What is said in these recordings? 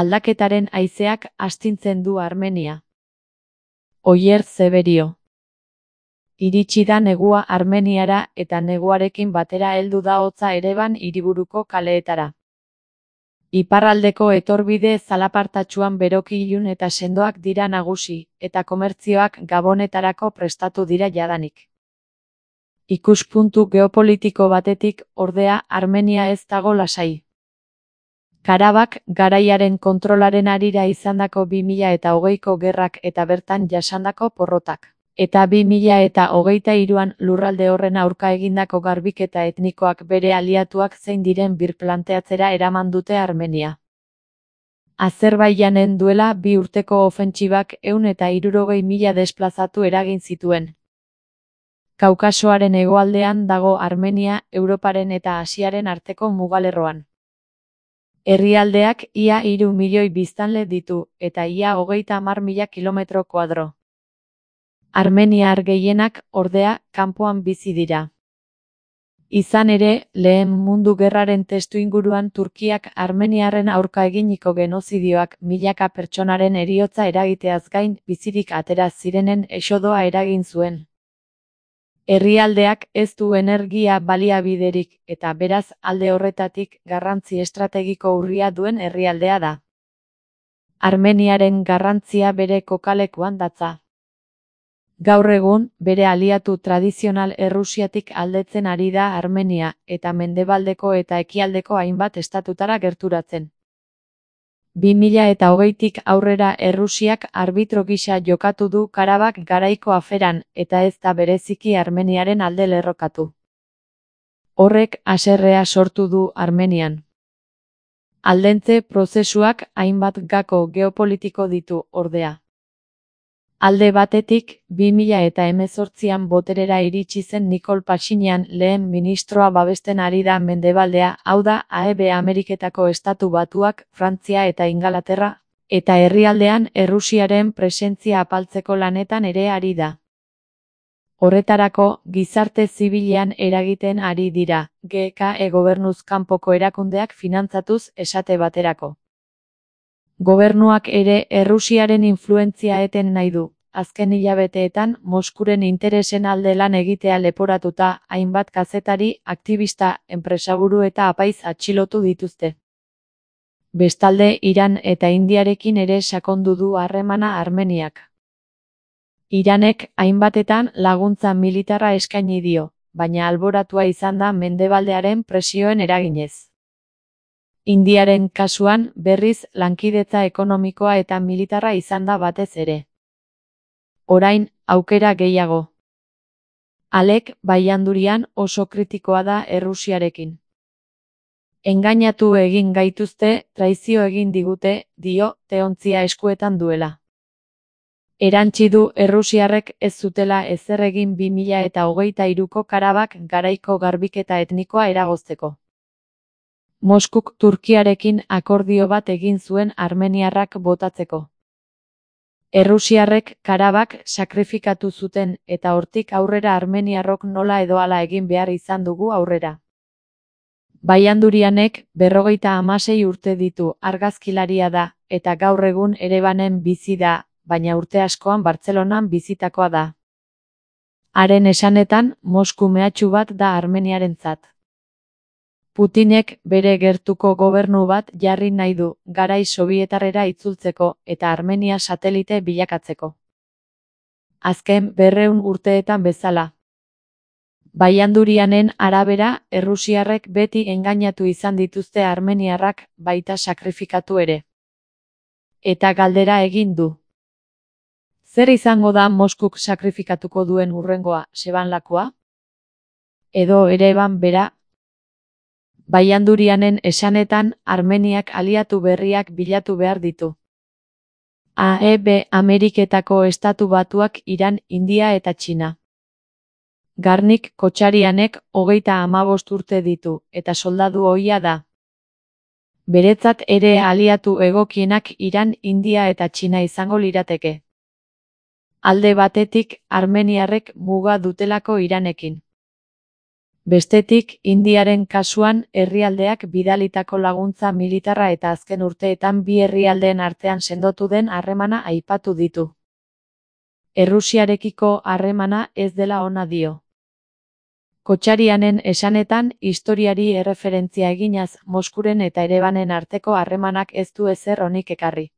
Aldaketaren haizeak astintzen du Armenia. Oier Zeberio. Iritsi da negua Armeniara eta neguarekin batera heldu da hotza Ereban hiriburuko kaleetara. Iparraldeko etorbide zalapartatsuan beroki ilun eta sendoak dira nagusi, eta komertzioak Gabonetarako prestatu dira jadanik. Ikuspuntu geopolitiko batetik, ordea, Armenia ez dago lasai. Karabak garaiaren kontrolaren harira izandako 2020ko gerrak eta bertan jasandako porrotak. Eta 2023an lurralde horren aurka egindako garbiketa etnikoak bere aliatuak zein diren birplanteatzera eraman dute Armenia. Azerbaijanen duela 2 urteko ofentsibak 160.000 desplazatu eragin zituen. Kaukasoaren hegoaldean dago Armenia, Europaren eta Asiaren arteko mugalerroan. Herrialdeak ia 3 milioi biztanle ditu, eta ia 30.000 kilometro koadro. Armeniar gehienak, ordea, kanpoan bizi dira. Izan ere, Lehen Mundu Gerraren testuinguruan Turkiak armeniarren aurka eginiko genozidioak milaka pertsonaren heriotza eragiteaz gain bizirik atera zirenen exodoa eragin zuen. Herrialdeak ez du energia baliabiderik eta beraz alde horretatik garrantzi estrategiko urria duen herrialdea da. Armeniaren garrantzia bere kokalekuan datza. Gaur egun, bere aliatu tradizional Errusiatik aldetzen ari da Armenia eta mendebaldeko eta ekialdeko hainbat estatutara gerturatzen. 2020tik aurrera Errusiak arbitro gisa jokatu du Karabak garaiko aferan eta ez da bereziki Armeniaren alde lerrokatu. Horrek haserrea sortu du Armenian. Aldentze prozesuak hainbat gako geopolitiko ditu, ordea. Alde batetik, 2018an boterera iritsi zen Nikol Pashinyan lehen ministroa babesten ari da mendebaldea, hau da, AEB Ameriketako Estatu Batuak, Frantzia eta Ingalaterra, eta herrialdean Errusiaren presentzia apaltzeko lanetan ere ari da. Horretarako, gizarte zibilean eragiten ari dira, GKE gobernuz kanpoko erakundeak finantzatuz esate baterako. Gobernuak ere Errusiaren influentzia eten nahi du. Azken hilabeteetan Moskuren interesen alde lan egitea leporatuta hainbat kazetari, aktivista, enpresaburu eta apaiz atxilotu dituzte. Bestalde, Iran eta Indiarekin ere sakondu du harremana Armeniak. Iranek hainbatetan laguntza militarra eskaini dio, baina alboratua izan da mendebaldearen presioen eraginez. Indiaren kasuan, berriz, lankidetza ekonomikoa eta militarra izan da batez ere. Orain, aukera gehiago. Alek, Baiandurian oso kritikoa da Errusiarekin. Engainatu egin gaituzte, traizio egin digute, dio, teontzia eskuetan duela. Erantsi du Errusiarrek ez zutela ezer egin 2023ko Karabak garaiko garbiketa etnikoa eragozteko. Moskuk Turkiarekin akordio bat egin zuen armeniarrak botatzeko. Errusiarrek Karabak sakrifikatu zuten eta hortik aurrera armeniarrok nola edo hala egin behar izan dugu aurrera. Baiandurianek 56 urte ditu, argazkilaria da, eta gaur egun Erebanen bizi da, baina urte askoan Bartzelonan bizitakoa da. Haren esanetan, Mosku mehatxu bat da Armeniarentzat. Putinek bere gertuko gobernu bat jarri nahi du, garai sobietarrera itzultzeko eta Armenia satelite bilakatzeko. Azken 200 urteetan bezala. Baiandurianen arabera, Errusiarrek beti engainatu izan dituzte armeniarrak, baita sakrifikatu ere. Eta galdera egin du. Zer izango da Moskuk sakrifikatuko duen hurrengoa, Sebanlakoa? Edo Ereban bera? Baiandurianen esanetan, Armeniak aliatu berriak bilatu behar ditu. AEB Ameriketako Estatu Batuak Iran, India eta Txina. Garnik Kotxarianek 35 urte ditu, eta soldadu ohia da. Beretzat ere aliatu egokienak Iran, India eta Txina izango lirateke. Alde batetik, armeniarrek muga dutelako Iranekin. Bestetik, Indiaren kasuan, herrialdeak bidalitako laguntza militarra eta azken urteetan bi herrialdeen artean sendotu den harremana aipatu ditu. Errusiarekiko harremana ez dela ona dio. Kotxarianen esanetan, historiari erreferentzia eginaz, Moskuren eta Erebanen arteko harremanak ez du ezer onik ekarri.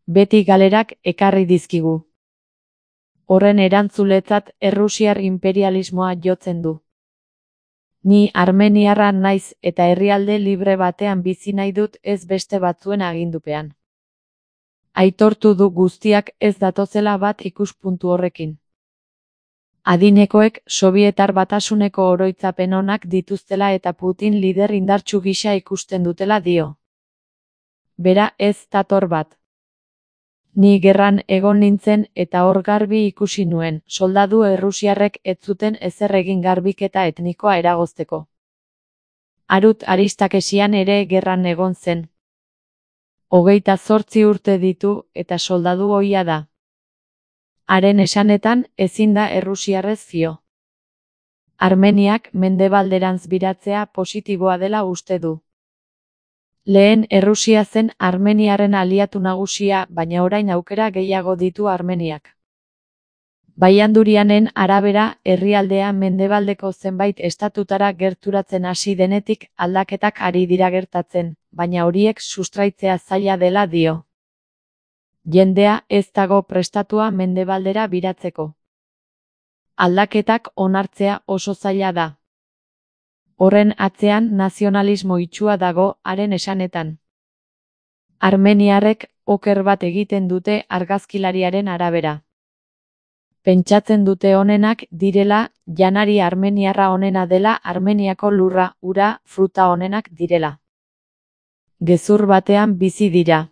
Beti galerak ekarri dizkigu. Horren erantzuletzat errusiar imperialismoa jotzen du. Ni armeniarra naiz eta herrialde libre batean bizi nahi dut ez beste batzuen agindupean. Aitortu du guztiak ez datozela bat ikuspuntu horrekin. Adinekoek Sobietar Batasuneko oroitzapen onak dituztela eta Putin lider indartsu gisa ikusten dutela dio. Bera ez dator bat. Ni gerran egon nintzen eta hor garbi ikusi nuen, soldadu errusiarrek ez zuten ezer egin garbiketa etnikoa eragozteko. Harut Aristakesian ere gerran egon zen. 28 urte ditu eta soldadu ohia da. Haren esanetan ezin da errusiarrez fio. Armeniak mendebalderantz biratzea positiboa dela uste du. Lehen Errusia zen Armeniaren aliatu nagusia, baina orain aukera gehiago ditu Armeniak. Baiandurianen arabera, herrialdea mendebaldeko zenbait estatutara gerturatzen hasi denetik aldaketak ari dira gertatzen, baina horiek sustraitzea zaila dela dio. Jendea ez dago prestatua mendebaldera biratzeko. Aldaketak onartzea oso zaila da. Horren atzean nazionalismo itsua dago haren esanetan. Armeniarrek oker bat egiten dute argazkilariaren arabera. Pentsatzen dute onenak direla, janari armeniarra onena dela Armeniako lurra, ura, fruta onenak direla. Gezur batean bizi dira.